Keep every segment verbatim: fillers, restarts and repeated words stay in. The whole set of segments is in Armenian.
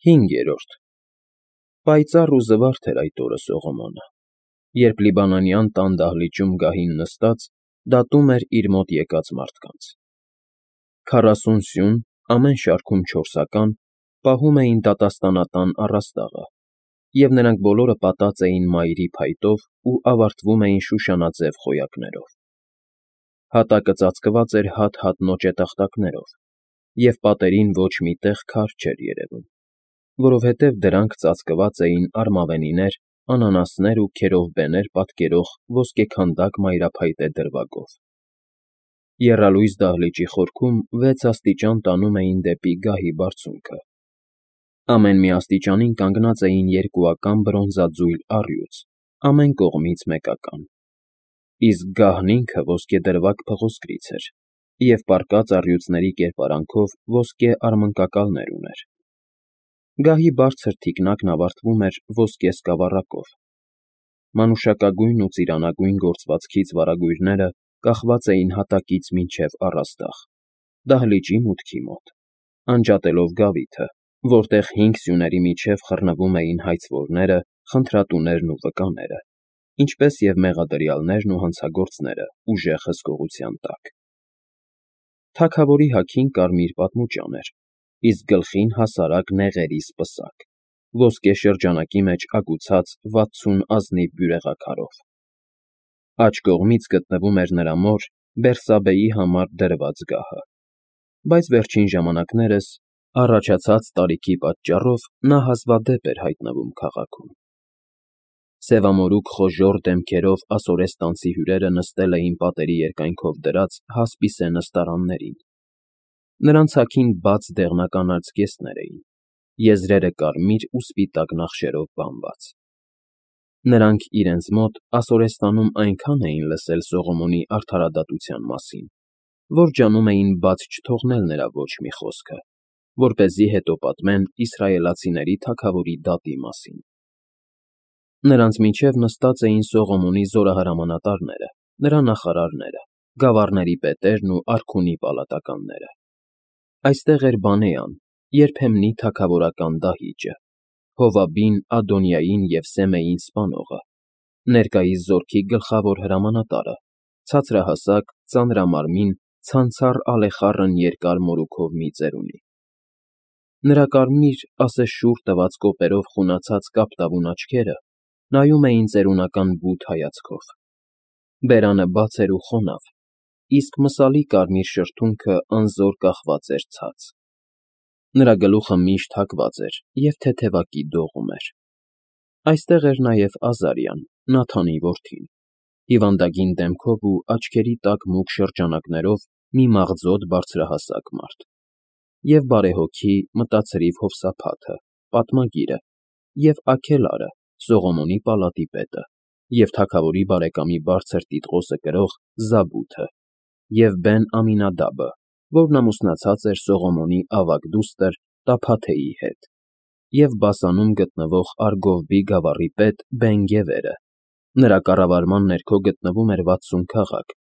Հինգերորդ Պայծառ ու զվարթ էր այդ օրը Սողոմոնը, երբ լիբանանյան տան դահլիճում գահին նստած, դատում էր իր մոտ եկած մարդկանց. քառասուն սյուն, ամեն շարքում չորսական, պահում էին դատաստանատան առաստաղը, և նրանք բոլորը պատած էին մայրի փայտով ու ավարտվում էին շուշանաձև խոյակներով. հատակը ծածկված էր հատ-հատ նոճետախտակներով, և պատերին ոչ մի տեղ քար չէր երևում, որովհետև դրանք ծածկված էին արմավենիներ, անանասներ ու քերովբեներ պատկերող ոսկեքանդակ մայրափայտե դրվագով. եռալույս դահլիճի խորքում վեց աստիճան տանում էին դեպի գահի բարձունքը. ամեն մի աստիճանին կանգնած էին երկուական բրոնզաձույլ առյուծ, ամեն կողմից մեկական, իսկ գահն ինքը ոսկեդրվագ փղոսկրից էր և պառկած առյուծների կերպարանքով ոսկե արմնկակալներ ուներ. գահի բարձր թիկնակն ավարտվում էր ոսկե սկավառակով. մանուշակագույն ու ծիրանագույն գործվածքից վարագույրները կախված էին հատակից մինչև առաստաղ, դահլիճի մուտքի մոտ, անջատելով գավիթը, որտեղ հինգ սյուների միջև խռնվում էին հայցվորները, խնդրատուներն ու վկաները, ինչպես և մեղադրյալներն ու հանցագործները ուժեղ հսկողության տակ. թագավորի հագին կարմիր պատմուճան էր, իսկ գլխին հասարակ նեղերի սպսակ, ոսկե շրջանակի մեջ ագուցած վաթսուն ազնիվ բյուրեղաքարով. աջ կողմից գտնվում էր նրա մոր Բերսաբեի համար դրված գահը, բայց վերջին ժամանակներս, առաջացած տարիքի պատճառով, նա հազվադեպ էր հայտնվում քաղաքում. սևամորուք խոժոռ դեմքերով ասորեստանցի հյուրերը նստել էին պատերի երկայնքով դրած հասպիսե նստարաններին. նրանց հագին բաց դեղնական արծկեսներ էին, եզրերը կարմիր ու սպիտակ նախշերով բանված. նրանք իրենց մոտ Ասորեստանում այնքան էին լսել Սողոմոնի արդարադատության մասին, որ ջանում էին բաց չթողնել նրա ոչ մի խոսքը, որպեսզի հետո պատմեն իսրայելացիների թագավորի դատի մասին. նրանց միջև նստած էին Սողոմոնի զորահրամանատարները, նրա նախարարները, գավառների պետերն ու արքունի պալատականները. այստեղ էր Բանեան, երբեմնի թագավորական դահիճը, Հովաբին, Ադոնիային և Սեմեին սպանողը, ներկայիս զորքի գլխավոր հրամանատարը, ցածրահասակ, ծանրամարմին, ցանցառ ալեխառն երկար մորուքով մի ծերունի. նրա կարմիր, ասես շուռ տված կոպերով խունացած կապտավուն աչքերը նայում էին ծերունական բութ հայացքով. բերանը բաց էր ու խոնավ, իսկ մսալի կարմիր շրթունքը անզոր կախված էր ցած. նրա գլուխը միշտ հագված էր և թեթևակի դողում էր. այստեղ էր նաև Ազարյան, Նաթանի որդին, հիվանդագին դեմքով ու աչքերի տակ մուգ շրջանակներով մի մաղձոտ բարձրահասակ մարդ, և բարեհոգի, մտացրիվ Հովսափաթը, պատմագիրը, և Աքելարը, Սողոմոնի պալատի պետը, և թագավորի բարեկամի բարձր տիտղոսը կրող Զաբութը, և Բեն-Ամինադաբը, որն ամուսնացած էր Սողոմոնի ավագ դուստր Տափաթեի հետ, և Բասանում գտնվող Արգովբի գավառի պետ Բեն֊Գևերը, նրա կառավարման ներքո գտնվում էր վաթսուն քաղաք,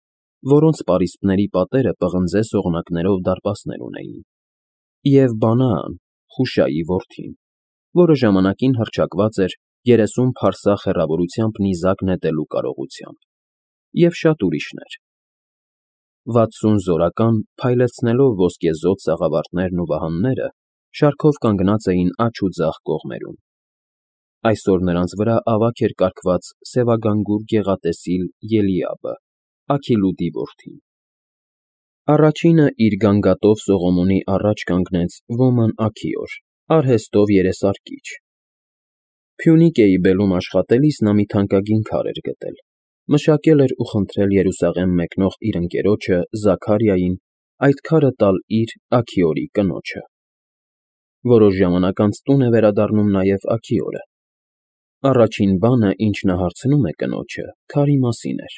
որոնց պարիսպների պատերը պղնձե սողնակներով դարպասներ ունեին, և Բանաան, Խուշայի որդին, որը ժամանակին հռչակված էր երեսուն փարսա հեռավորությամբ նիզակ նետելու կարողությամբ, և շատ ուրիշներ. վաթսուն զորական, փայլեցնելով ոսկեզօծ սաղավարտներն ու վահանները, շարքով կանգնած էին աջ ու ձախ կողմերում. այսօր նրանց վրա ավագ էր կառքված սևագանգուր գեղատեսիլ Ելիաբը, Աքիլուդի որդին. առաջինը իր գանգատով Սողոմոնի առաջ կանգնեց Ոման Աքիոր, արհեստով երեսարկիչ. Փյունիկեի բելում աշխատելիս նա մի թանկագին քար էր գտել, մշակել էր ու խնդրել Երուսաղեմ մեկնող իր ընկերոջը Զաքարիային այդ քարը տալ իր՝ Աքիորի կնոջը. որոշ ժամանակ անց տուն է վերադառնում նաև Աքիորը. առաջին բանը, ինչ նա հարցնում է կնոջը, քարի մասին էր.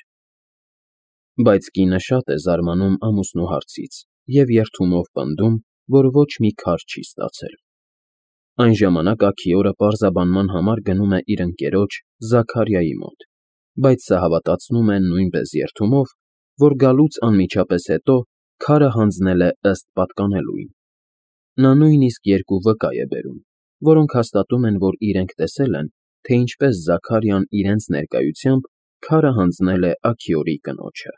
բայց կինը շատ է զարմանում ամուսնու հարցից և երդումով պնդում, որ ոչ մի քար չի ստացել. այն ժամանակ Աքիորը պարզաբանման համար գնում է իր ընկերոջ Զաքարիայի մոտ, բայց սա հավատացնում է նույնպես երդումով, որ գալուց անմիջապես հետո քարը հանձնել է ըստ պատկանելույն. նա նույնիսկ երկու վկա է բերում, որոնք հաստատում են, որ իրենք տեսել են, թե ինչպես Զաքարիան իրենց ներկայությամբ քարը հանձնել է Աքիորի կնոջը։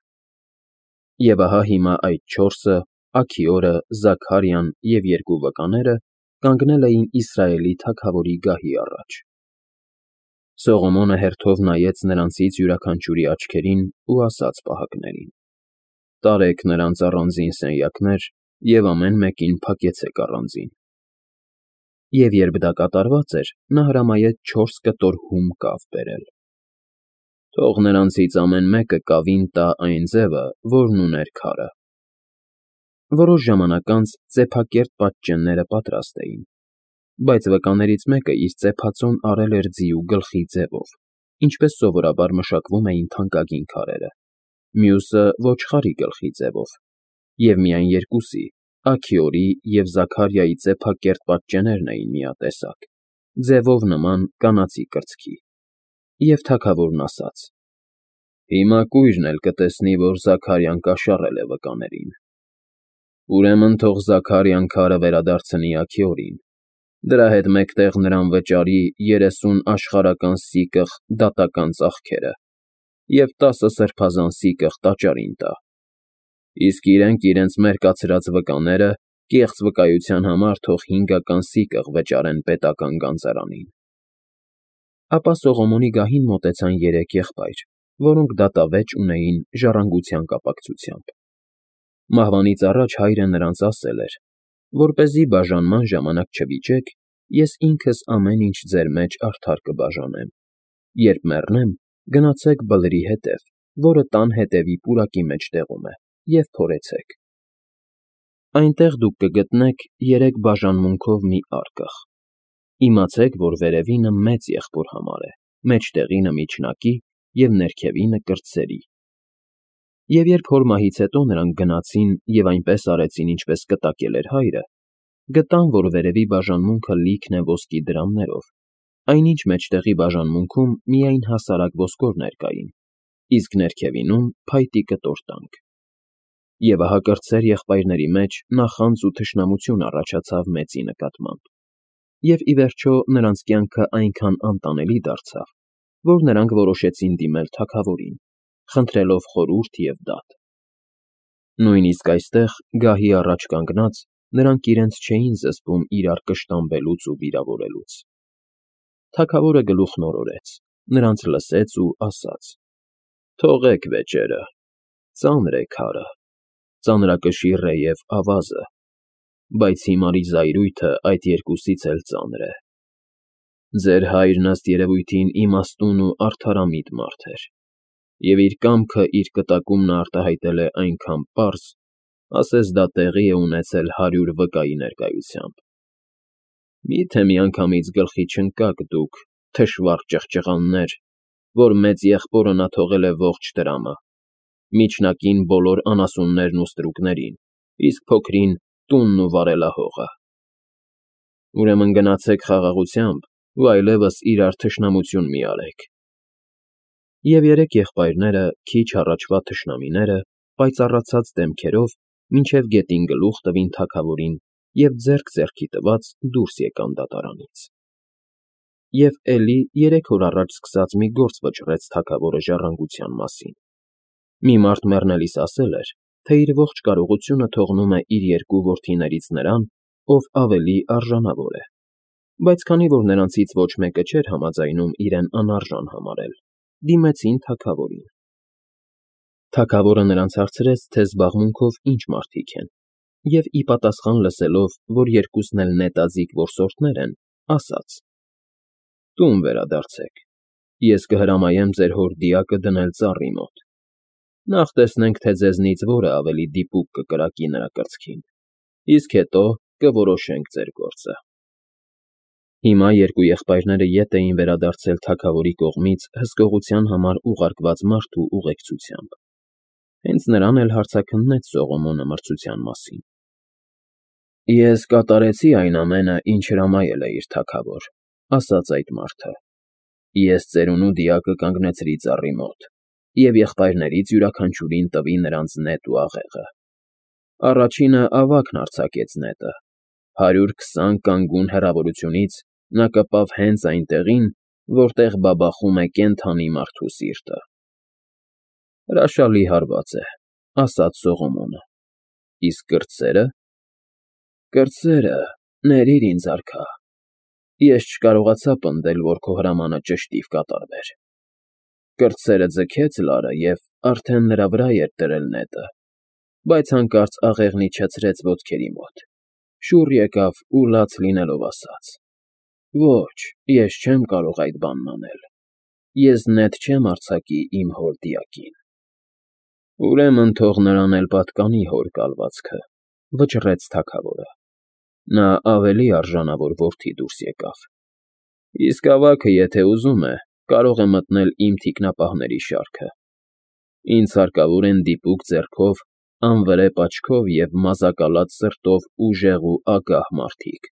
Եվ ահա հիմա այդ չորսը՝ Աքիորը, Զաքարիան և երկու վկաները, կանգնել էին Իսրայելի թագավորի գահի առաջ։ Սողոմոնը հերթով նայեց նրանցից յուրաքանչյուրի աչքերին ու ասաց պահակներին. «Տարեք նրանց առանձին սենյակներ և ամեն մեկին փակեցեք առանձին»։ Եվ երբ դա կատարված էր, նա հրամայեց չորս կտոր հում կավ բերել։ «Թող նրանցից ամեն մեկը կավին տա այն ձևը, որն ուներ քարը»։ Որոշ ժամանակ անց ծեփակերտ պատճենները պատրաստ էին, բայց վկաներից մեկը իր ծեփածոն արել էր ձիու գլխի ձևով, ինչպես սովորաբար մշակվում էին թանկագին քարերը, մյուսը՝ ոչխարի գլխի ձևով, և միայն երկուսի՝ Աքիորի և Զաքարիայի ծեփակերտ պատճեններն էին միատեսակ, ձևով նման կանացի կրծքի։ Եվ թագավորն ասաց. «Հիմա կույրն էլ կտեսնի, որ Զաքարիան կաշառել է վկաներին։ Ուրեմն թող Զաքարիան քարը վերադարձնի Աքիորին, դրա հետ մեկտեղ նրան վճարի երեսուն աշխարհական սիկղ դատական ծախքերը և տասը սրբազան սիկղ տաճարին տա, իսկ իրենք իրենց մերկացրած վկաները կեղծ վկայության համար թող հինգական սիկղ վճարեն պետական գանձարանին»։ Ապա Սողոմոնի գահին մոտեցան երեք եղբայր, որոնք դատավեճ ունեին ժառանգության կապակցությամբ։ Մահվանից առաջ հայրը նրանց ասել էր. «Որպեսզի բաժանման ժամանակ չվիճեք, ես ինքս ամեն ինչ ձեր մեջ արդար կբաժանեմ։ Երբ մեռնեմ, գնացեք բլրի հետև, որը տան հետևի պուրակի մեջտեղում է, և փորեցեք. այնտեղ դուք կգտնեք երեք բաժանմունքով մի արկղ։ Իմացեք, որ վերևինը մեծ եղբոր համար է, մեջտեղինը միջնակի և ներքևինը կրտսերի»։ Եվ երբ հոր մահից հետո նրանք գնացին և այնպես արեցին, ինչպես կտակել էր հայրը, գտան, որ վերևի բաժանմունքը լիքն է ոսկի դրամներով, այնինչ մեջտեղի բաժանմունքում միայն հասարակ ոսկորներ կային, իսկ ներքևինում՝ փայտի կտոր տանք։ Եվ ահա կրտսեր եղբայրների մեջ նախանձ ու թշնամություն առաջացավ մեծի նկատմամբ, և ի վերջո նրանց կյանքը այնքան անտանելի դարձավ, որ նրանք որոշեցին դիմել թագավորին, խնդրելով խորհուրդ և դատ։ Նույնիսկ այստեղ, գահի առաջ կանգնած, նրանք իրենց չէին զսպում իրար կշտամբելուց ու վիրավորելուց։ Թագավորը գլուխն օրորեց, նրանց լսեց ու ասաց. «Թողեք վեճերը, ծանր է քարը, ծանրակշիռ է և ավազը, բայց հիմարի զայրույթը այդ երկուսից էլ ծանր է։ Ձեր հայրն ըստ երևույթին իմաստուն ու արդարամիտ մարդ էր, և իր կամքը իր կտակումն արտահայտել է այնքան պարզ, ասես դա տեղի է ունեցել հարյուր վկայի ներկայությամբ։ Մի՞թե միանգամից գլխի չընկաք դուք, թշվառ ճղճղաններ, որ մեծ եղբորը նա թողել է ողջ տրամը, միջնակին բոլոր անասուններն ու ստրուկներին, իսկ փոքրին տունն ու վարելահողը։ Ուրեմն գնացեք խաղաղությամբ ու այլևս իրար թշնամություն մի արեք»։ Եվ երեք եղբայրները, քիչ առաջվա թշնամիները, պայծառացած դեմքերով մինչև գետին գլուխ տվին թագավորին և ձեռք ձեռքի տված դուրս եկան դատարանից։ Եվ էլի երեք օր առաջ սկսած մի գործ վճռեց թագավորը ժառանգության մասին։ Մի մարդ մեռնելիս ասել էր, թե իր ողջ կարողությունը թողնում է իր երկու որդիներից նրան, ով ավելի արժանավոր է, բայց քանի որ նրանցից ոչ մեկը չէր համաձայնում իրեն անարժան համարել, դիմեցին թագավորին։ Թագավորը նրանց հարցրեց, թե զբաղմունքով ինչ մարդիկ են, և ի պատասխան լսելով, որ երկուսն էլ նետաձիգ որսորդներ են, ասաց. «Տուն վերադարձեք, ես կհրամայեմ ձեր հոր դիակը դնել ծառի մոտ։ Նախ տեսնենք, թե ձեզնից որը ավելի դիպուկ կկրակի նրա կրծքին, իսկ հետո կորոշենք ձեր գործը»։ Հիմա երկու եղբայրները ետ էին վերադարձել թագավորի կողմից հսկողության համար ուղարկված մարդու ուղեկցությամբ։ Հենց նրան էլ հարցաքննեց Սողոմոնը մրցության մասին։ «Ես կատարեցի այն ամենը, ինչ հրամայել է իր թագավոր», ֊ ասաց այդ մարդը։ «Ես ծերունու դիակը կանգնեցրի ծառի մոտ և եղբայրներից յուրաքանչյուրին տվի նրանց նետ ու աղեղը։ Առաջինը ավագն արձակեց նետը՝ հարյուր քսան կանգուն հեռավորությունից Նա կպավ հենց այն տեղին, որտեղ բաբախում է կենդանի մարդու սիրտը։ ֊ Հրաշալի հարված է,֊ ասաց Սողոմոնը,֊ իսկ կրտսե՞րը։ ֊ Կրտսերը, ներիր ինձ, արքա, ես չկարողացա պնդել, որ քո հրամանը ճշտիվ կատարվեր։ Կրտսերը ձգեց լարը և արդեն նրա վրա էր դրել նետը, բայց հանկարծ աղեղն իջեցրեց ոտքերի մոտ, շուռ եկավ ու լաց լինելով ասաց. «Ոչ, ես չեմ կարող այդ բանն անել, ես նետ չեմ արձակի իմ հոր դիակին»։ ֊ Ուրեմն թող նրան էլ պատկանի հոր կալվածքը,֊ վճռեց թագավորը։ Նա ավելի արժանավոր որդի դուրս եկավ։ Իսկ ավագը, եթե ուզում է, կարող է մտնել իմ թիկնապահների շարքը։ Ինձ հարկավոր են դիպուկ ձեռքով, անվրեպ աչքով և մազակալած սրտով ուժեղ ու ագահ մարդիկ։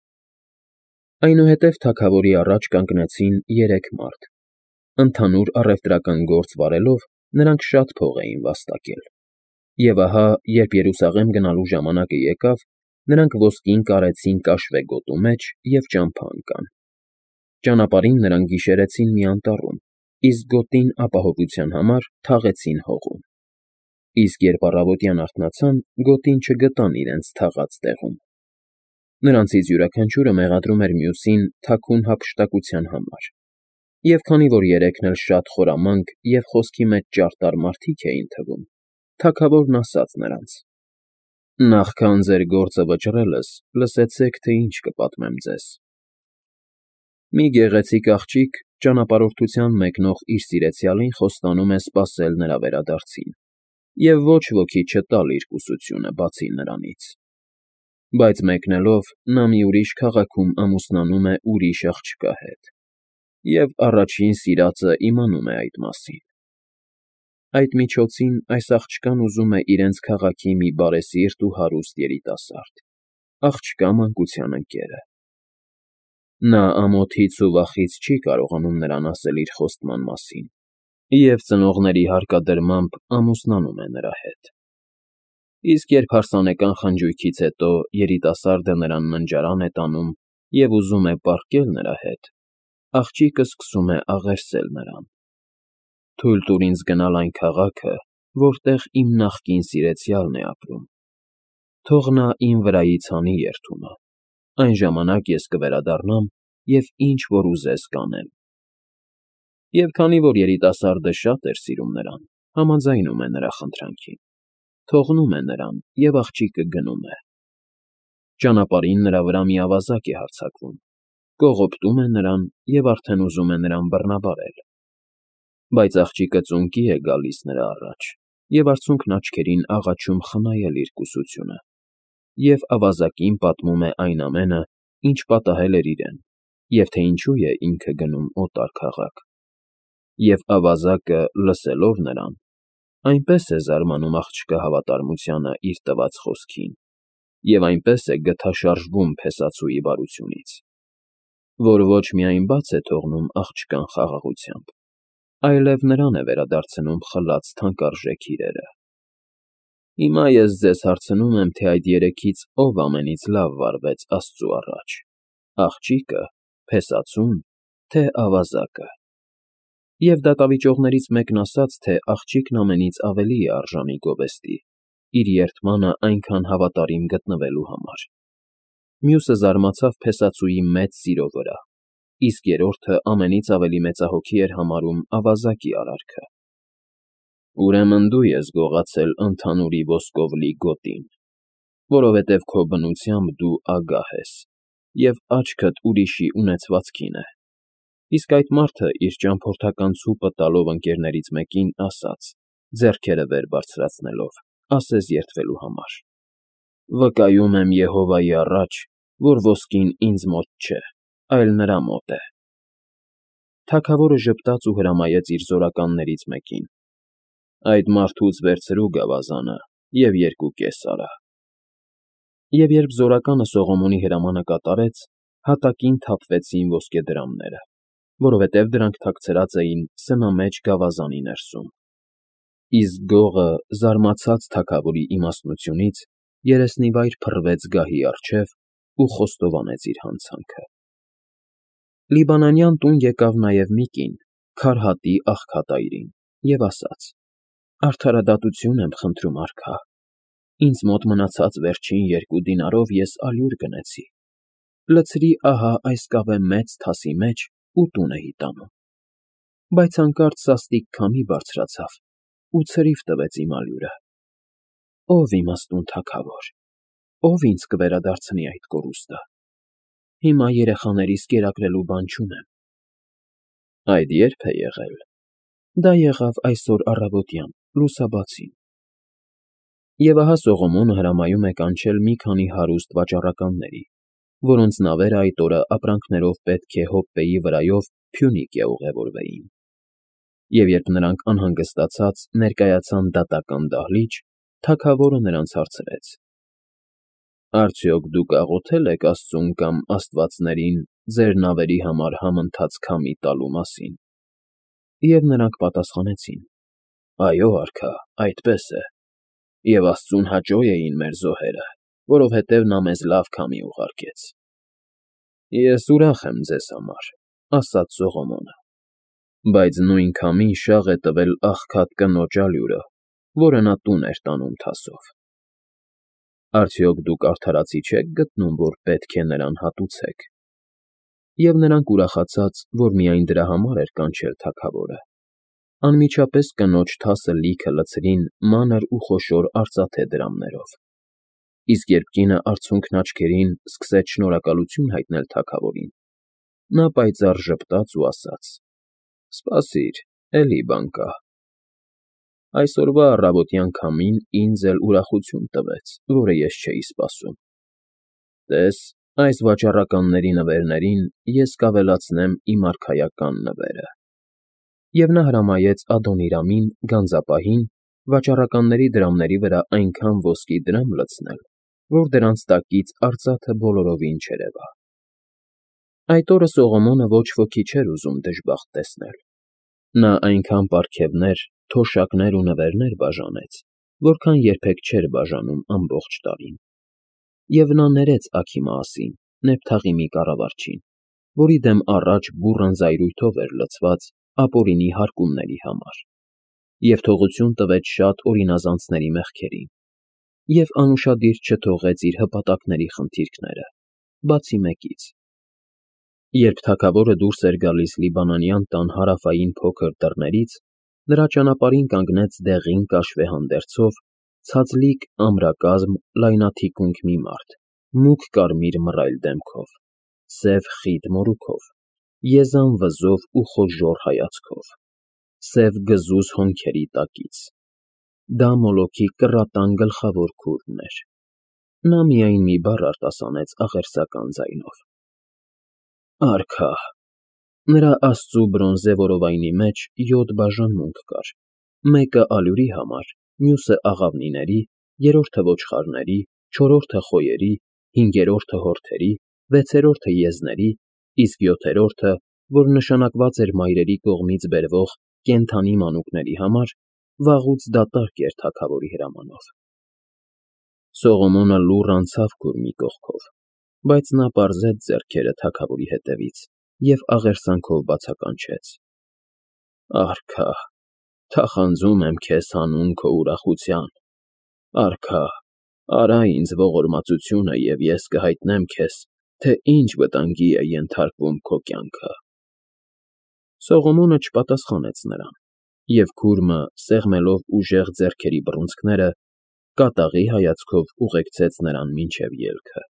Այնուհետև թագավորի առաջ կանգնեցին երեք մարդ։ Ընդհանուր առևտրական գործ վարելով՝ նրանք շատ փող էին վաստակել։ Եվ ահա, երբ Երուսաղեմ գնալու ժամանակը եկավ, նրանք ոսկին կարեցին կաշվե գոտու մեջ և ճամփա ընկան։ Ճանապարհին նրանք գիշերեցին մի անտառում, իսկ գոտին ապահովության համար թաղեցին հողում։ Իսկ երբ առավոտյան արթնացան, գոտին չգտան իրենց թաղած տեղում։ Նրանցից յուրաքանչյուրը մեղադրում էր մյուսին թաքուն հափշտակության համար, և քանի որ երեքն էլ շատ խորամանկ և խոսքի մեջ ճարտար մարդիկ էին թվում, թագավորն ասաց նրանց. «Նախքան ձեր գործը վճռելս, լսեցեք, թե ինչ կպատմեմ ձեզ։ Մի գեղեցիկ աղջիկ ճանապարհորդության մեկնող իր սիրեցյալին խոստանում է սպասել նրա վերադարձին և ոչ ոքի չտալ իր կուսությունը, բացի նրանից։ Բայց մեկնելով՝ նա մի ուրիշ քաղաքում ամուսնանում է ուրիշ աղջկա հետ, և առաջին սիրածը իմանում է այդ մասին։ Այդ միջոցին այս աղջկան ուզում է իրենց քաղաքի մի բարեսիրտ ու հարուստ երիտասարդ, աղջկա մանկության ընկերը։ Նա ամոթից ու վախից չի կարողանում նրան ասել իր խոստման մասին և ծնողների հարկադրմամբ ամուսնանում է նրա հետ։ Իսկ երբ հարսանեկան խնջույքից հետո երիտասարդը նրան ննջարան է տանում և ուզում է պառկել նրա հետ, աղջիկը սկսում է աղերսել նրան. «Թույլ տուր ինձ գնալ այն քաղաքը, որտեղ իմ նախկին սիրեցյալն է ապրում։ Թող նա իմ վրայից հանի երդումը, այն ժամանակ ես կվերադառնամ և ինչ որ ուզես կանեմ»։ Եվ քանի որ երիտասարդը շատ էր սիրում նրան, համաձայնում է նրա խնդրանքին, թողնում է նրան, և աղջիկը գնում է։ Ճանապարհին նրա վրա մի ավազակ է հարձակվում, կողոպտում է նրան և արդեն ուզում է նրան բռնաբարել։ Բայց աղջիկը ծունկի է գալիս նրա առաջ և արցունքն աչքերին աղաչում խնայել իր կուսությունը, և ավազակին պատմում է այն ամենը, ինչ պատահել էր իրեն, և թե ինչու է ինքը գնում օտար քաղաք։ Եվ ավազակը, լսելով նրան, այնպես է զարմանում աղջկա հավատարմությանը իր տված խոսքին և այնպես է գթաշարժվում փեսացուի բարությունից, որ ոչ միայն բաց է թողնում աղջկան խաղաղությամբ, այլև նրան է վերադարձնում խլած թանկարժեք իրերը։ Հիմա ես ձեզ հարցնում եմ, թե այդ երեքից ով ամենից լավ վարվեց Աստծու առաջ՝ աղջիկը, փեսացո՞ւն, թե ավազակը։ Եվ դատավիճողներից մեկն ասաց, թե աղջիկն ամենից ավելի է արժանի գովեստի՝ իր երդմանը այնքան հավատարիմ գտնվելու համար։ Մյուսը զարմացավ փեսացուի մեծ սիրո վրա, իսկ երրորդը ամենից ավելի մեծահոգի էր համարում ավազակի արարքը։ Ուրեմն դու ես գողացել ընդհանուրի ոսկով լի գոտին, որովհետև քո բնությամբ դու ագահ ես, և աչքդ ուրիշի ունեցվածքին է։ Իսկ այդ մարդը, իր ճամփորդական ցուպը տալով ընկերներից մեկին, ասաց, ձեռքերը վեր բարձրացնելով, ասես երդվելու համար. «Վկայում եմ Եհովայի առաջ, որ ոսկին ինձ մոտ չէ, այլ նրա մոտ է»։ Թագավորը ժպտաց ու հրամայեց իր զորականներից մեկին. «Այդ մարդուց վերցրու գավազանը և երկու կես արա»։ Եվ երբ զորականը Սողոմոնի հրամանը կատարեց, հատակին թափվեցին ոսկեդրամները, որովհետև դրանք թաքցրած էին սնամեջ գավազանի ներսում։ Իսկ գողը, զարմացած թագավորի իմաստնությունից, երեսնիվայր փռվեց գահի առջև ու խոստովանեց իր հանցանքը։ Լիբանանյան տուն եկավ նաև մի կին, քարհատի աղքատայրին, և ասաց. «Արդարադատություն եմ խնդրում, արքա, ինձ մոտ մնացած վերջին երկու դինարով ես ալյուր գնեցի, լցրի ահա այս կավե մեծ թասի մեջ ու տուն էի տանում, բայց հանկարծ սաստիկ քամի բարձրացավ ու ցրիվ տվեց իմ ալյուրը։ Ո՞վ իմաստուն թագավոր, ո՞վ ինձ կվերադարձնի այդ կորուստը։ Հիմա երեխաներիս կերակրելու բան չունեմ»։ Այդ ե՞րբ է եղել։ Դա եղավ այսօր առավոտյան, լուսաբացին։ Եվ ահա Սողոմոնը հրամայում է կանչել մի քանի հարուստ վաճառականների, որոնց նավերը այդ օրը ապրանքներով պետք է Հոպպեի վրայով Փյունիկիա ուղևորվեին։ Եվ երբ նրանք անհանգստացած ներկայացան դատական դահլիճ, թագավորը նրանց հարցրեց. «Արդյոք դուք աղոթե՞լ եք աստծուն կամ աստվածներին ձեր նավերի համար համընթաց քամի տալու մասին»։ Եվ նրանք պատասխանեցին. «Այո, արքա, այդպես է, և աստծուն հաճո էին մեր զոհերը, որովհետև նա մեզ լավ քամի ուղարկեց»։ Ես ուրախ եմ ձեզ համար, ասաց Սողոմոնը, բայց նույն քամին շաղ է տվել աղքատ կնոջ ալյուրը, որը նա տուն էր տանում թասով։ Արդյոք դուք արդարացի չեք գտնում, որ պետք է նրան հատուցեք։ Եվ նրանք ուրախացած, որ միայն դրա համար էր կանչել թագավորը, անմիջապես կնոջ թասը լիքը լցրին մանր ու խոշոր արծաթե դրամներով։ Իսկ երբ կինը արցունքն աչքերին սկսեց շնորհակալություն հայտնել թագավորին, նա պայծառ ժպտաց ու ասաց. «Սպասիր, էլի բան կա։ Այսօրվա առավոտյան քամին ինձ էլ ուրախություն տվեց, որը ես չէի սպասում։ Տես, այս վաճառականների նվերներին ես կավելացնեմ իմ արքայական նվերը»։ Եվ նա հրամայեց Ադոնիրամին, գանձապահին, վաճառականների դրամների վրա այնքան ոսկի դրամ լցնել, որ դրանց տակից արծաթը բոլորովին չերևա։ Այդ օրը Սողոմոնը ոչ ոքի չէր ուզում դժբախտ տեսնել։ Նա այնքան պարգևներ, թոշակներ ու նվերներ բաժանեց, որքան երբեք չէր բաժանում ամբողջ տարին։ Եվ նա ներեց Աքիմասին, Նեփթաղիմի կառավարչին, որի դեմ առաջ բուռն զայրույթով էր լցված ապօրինի հարկումների համար, և թողություն տվեց շատ օրինազանցների մեղքերին, և անուշադիր չթողեց իր հպատակների խնդիրքները, բացի մեկից։ Երբ թագավորը դուրս էր գալիս Լիբանանյան տան հարավային փոքր դռներից, նրա ճանապարհին կանգնեց դեղին կաշվե հանդերձով, ցածլիկ ամրակազմ, լայնաթիկունք մի մարդ, մուգ կարմիր մռայլ դեմքով, սև խիտ մորուքով, եզան վզով ու խոժոռ հայացքով, սև գզուզ հոնքերի տակից։ Դա Մոլոքի կռատան գլխավոր քուրմն էր։ Նա միայն մի բառ արտասանեց աղերսական ձայնով. «Արքա»։ Նրա աստծու բրոնզե որովայնի մեջ յոթ բաժանմունք կար, մեկը ալյուրի համար, մյուսը աղավնիների, երրորդը ոչխարների, չորրորդը խոյերի, հինգերորդը հորթերի, վեցերորդը եզների, իսկ յոթերորդը, որ նշանակված էր մայրերի կողմից բերվող կենդանի մանուկների համար, վաղուց դատարկ էր թագավորի հրամանով։ Սողոմոնը լուռ անցավ քուրմի կողքով, բայց նա պարզեց ձեռքերը թագավորի ետևից և աղերսանքով բացականչեց. «Արքա, թախանձում եմ քեզ հանուն քո ուրախության, արքա, արա ինձ ողորմածությունը, և ես կհայտնեմ քեզ, թե ինչ վտանգի է ենթարկվում քո կյանքը»։ Սողոմոնը չպատասխանեց նրան, և քուրմը, սեղմելով ուժեղ ձեռքերի բռունցքները, կատաղի հայացքով ուղեկցեց նրան մինչև ելքը։